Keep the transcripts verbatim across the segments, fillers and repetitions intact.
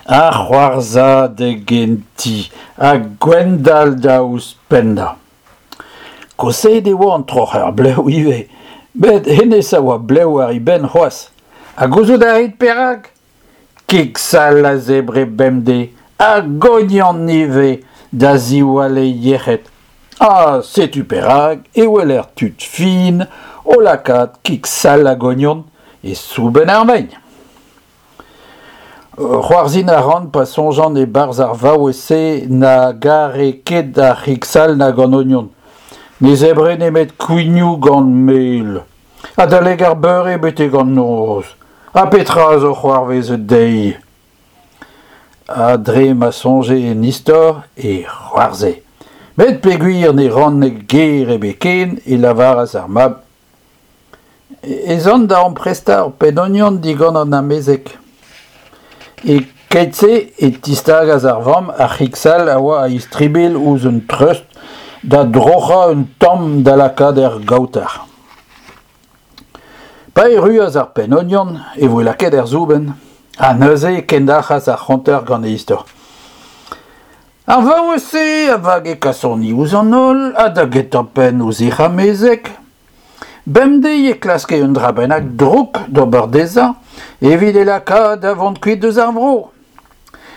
Ar c'hoarzhadeg en ti, ha Gwendal da ouzhpennañ. Koshaet e oa an troc'her blev ivez, met hennezh a oa blev war e benn c'hoazh. Ha gouzout a rit perak ? Kig-sall a zebre bemdez, hag ognon ivez, da ziwall e yec'hed. Ha setu perak e weler tud fin o lakaat kig-sall hag ognon e soubenn ar vein. C'hoarzhin a ran pa soñjan e-barzh ar vaouez-se na gare ket ar c'hig-sall nag an ognon. Ne zebre nemet kouignoù gant mel. Adalek ar beure betek an noz. Ha petra zo c'hoarvezet dezhi ? Ha dre ma soñje en istor e c'hoarzhe. Met peogwir ne ranne ger ebet ken e lavaras ar mab ez an da amprestañ ur penn-ognon digant an amezeg. E-keit-se e tistagas ar vamm ar c'hig-sall a oa a-istribilh ouzh un treust da droc'hañ un tamm da lakaat er gaoter. Pa erruas ar penn-ognon e voe lakaet er soubenn, ha neuze e kendalc'has ar c'honter gant e istor. Ar vaouez-se a vage kasoni ouzh an holl ha da gentañ-penn ouzh hec'h amezeg. Bemdez e klaske un dra bennak drouk d'ober dezhañ evit e lakaat da vont kuit eus ar vro.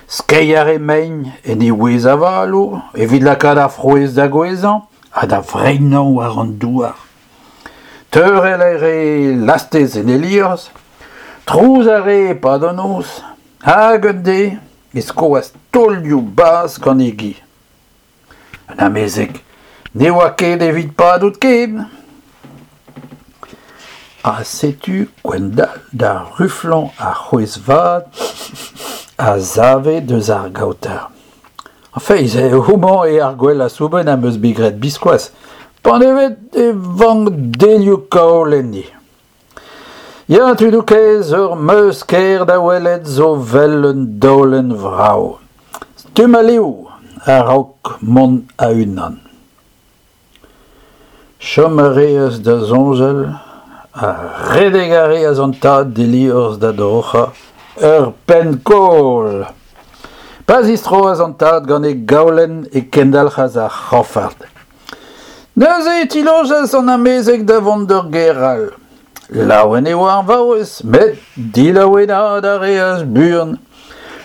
Skeiñ a rae mein en e wez avaloù evit lakaat ar frouezh da gouezhañ ha da vreinañ war an douar. Teurel a rae lastez en e liorzh, trouz a rae e-pad an noz, hag un deiz e skoas taolioù bazh gant e gi. An amezeg ne oa ket evit padout ken. Ha setu Gwendal da ruflañ ar c'hwezh vat a save eus ar gaoter. Feiz, homañ eo ar gwellañ soubenn am eus bet graet biskoazh, panevet e vank delioù kaol enni. Ya, tudoù kaezh, ur meuz kaer da welet zo 'vel un daolenn vrav. Stumm ha liv a-raok mont a-unan. Chom a reas da soñjal ha redek a reas an tad d'e liorzh da droc'hañ ur penn-kaol. Pa zistroas an tad gant e gaolenn e kendalc'has ar c'hanfard. Neuze e tilojas an amezeg da vont d'ur gêr all. Laouen e oa ar vaouez, met dilaouenaat a reas buan.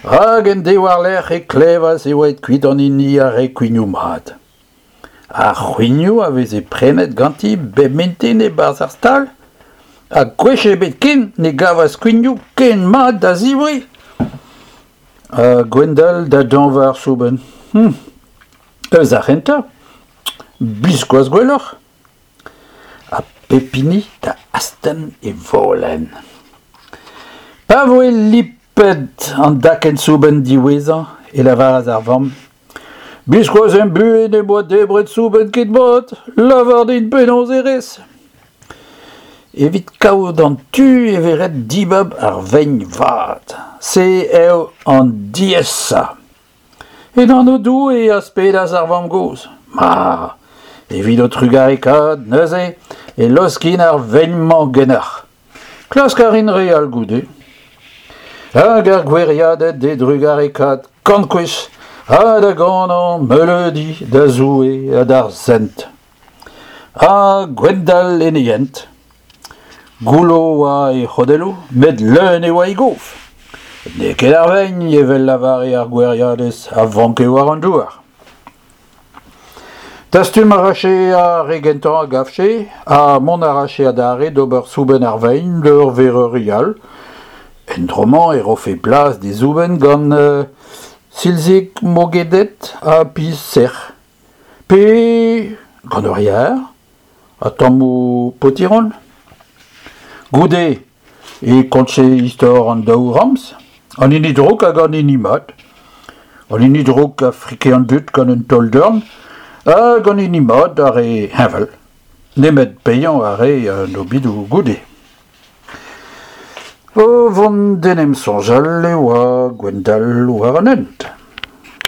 Rak en deiz war-lerc'h e klevas e oa aet kuit an hini a rae kouignoù mat. Ar c'houignoù a veze prenet ganti bep mintin e-barzh ar stal, ha gwech ebet ken ne gavas kouignoù ken mat da zebriñ. Ha Gwendal da dañva ar soubenn. Hm. Eus ar c'hentañ, biskoazh gwelloc'h. Ha pep hini da astenn e volenn. Pa voe lipet an dakenn soubenn diwezhañ e lavaras ar vamm Biskoazh em buhez ne boa debret soubenn ken mat, lavar din penaos e rez. Evit kaout an tu e vez ret dibab ar vein vat. Se eo an diaesañ. En anv Doue a aspedas ar vamm-gozh. Ma, evit ho trugarekaat neuze e laoskin ar vein-mañ ganeoc'h. Klask a rin re all goude. Hag ar goueriaded d'e drugarekaat kant gwech ha da ganañ meuleudi da Zoue ha d'ar sent. Ha Gwendal en e hent. Goullo oa e c'hodelloù, met leun e oa e gof. N'eo ket ar vein, evel lavare ar goueriadez, a vanke war an douar. Dastum a rafe ar re gentañ a gavfe, ha mont a rafe adarre d'ober soubenn ar vein d'ur vereuri all. En dro-mañ e rofe plas d'e soubenn gant euh, silzig mogedet ha piz sec'h. Pe gant ur yar, ha tammoù potiron. Goude e kontje istor an daou ramz, an hini drouk hag an hini mat. An hini drouk a frike an dud gant un taol-dorn, hag an hini mat a rae heñvel. Nemet paeañ a rae an obidoù goude. O vont d'en em soñjal e oa Gwendal war an hent.